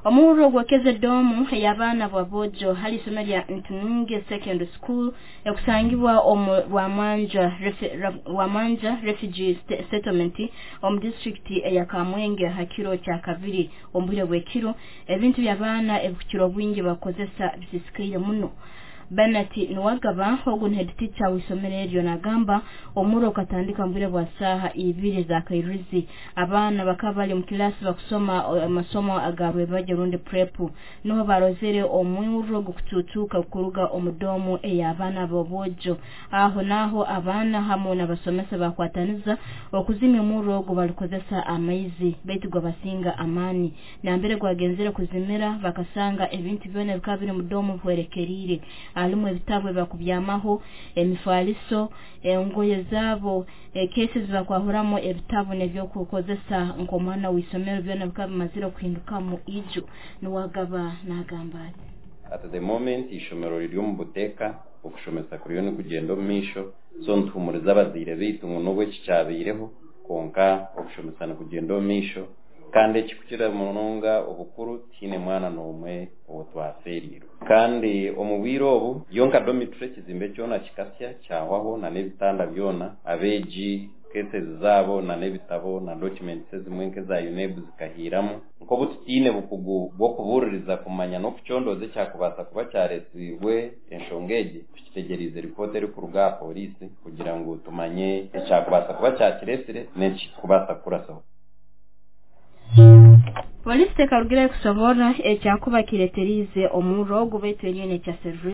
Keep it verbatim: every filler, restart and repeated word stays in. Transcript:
Omurro gwokeze domu ey'abaana b'aboojo hali isomero lya Ntununge Secondary School ekusangibwa omu Rwamanja Rwamanja Refugee Settlement omu disitulikiti eya Kamwenge ha kiro kya kabiri omu bwire bw'ekiro. Ebintu by'abaana ebikukira obwingi bakozesa bisisikaire muno. Bernard Niwagaba ogu ni head teacher w'isomero eryo nagamba omurro ukatandika mu bwire bwa saaha ibiri za kairizi. Abaana bakaba bali mu kilasi bakusoma amasomo aga rwebagyo rundi prep, niho barozere omurro gukututuka kuruga omu domu ey'abaana b'obwojo. Aho naho abaana hamwe n'abasomesa bakwataniza okuzimya omurro ogu balikozesa amaizi, baitu gwabasinga amaani. Nambere gwagenzere kuzimira bakasanga ebintu byona bikaba biri mu domu bihwerekerire, harimu ebitabo ebibakubyamaho, emifaliso, engoye zaabo, cases bakwahuramu ebitabo n'ebyokukozesa nk'omwana w'isomero, byona bikaba bimazire kuhindukamu iju. Niwagaba nagamba ati, At the moment ishomero riri omu buteeka, okushomesa kuriyo nikugenda omu maisho. So nituhumuriza abazaire baitu ngu n'obu eki kyabaireho, kwonka okushomesa nikugenda omu maisho, kandi ekikukira munonga obukuru, tihaine mwana n'omwe ou twafeereirwe. Kandi omu bwire obu yo nka dormitory, ekizimbe kyona kikasya kyahwaho na n'ebitanda byona, abeegi cases zaabo na n'ebitabo na documents ezimwe nk'eza UNEB zikahiiramu. Nk'obu tutiine bukugu bw'okubuuririza kumanya n'okucondooza ekyakubaasa kuba kyareetsirwe enshonga egi, tukitegyereize ripoota erikuruga aha pooriisi kugira ngu tumanye ekyakubaasa kuba kyakireetsire n'ekikubaasa kukurasaho. Polisi tekarugire kusoborra ekyakuba kireteriize omurro ogu, baitu eriyo nekyaserura.